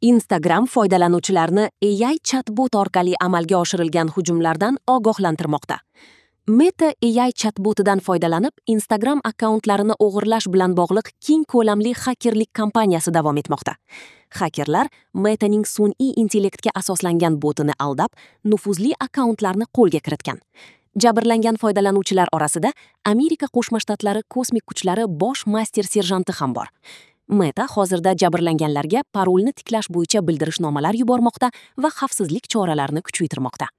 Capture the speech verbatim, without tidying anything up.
Instagram foydalanuvchilarni A I chatbot orqali amalga oshirilgan hujumlardan ogohlantirmoqda. Meta A I chatbotidan foydalanib, Instagram akkauntlarini o'g'irlash bilan bog'liq keng ko'lamli xakerlik kampaniyasi davom etmoqda. Xakerlar Metaning sun'iy intellektga asoslangan botini aldab, nufuzli akkauntlarni qo'lga kiritgan. Jabrlangan foydalanuvchilar orasida Amerika Qo'shma Shtatlari kosmik kuchlari bosh master serjanti ham bor. Meta hozirda jabrlanganlarga parolni tiklash bo'yicha bildirishnomalar yubormoqda va xavfsizlik choralarini kuchaytirmoqda.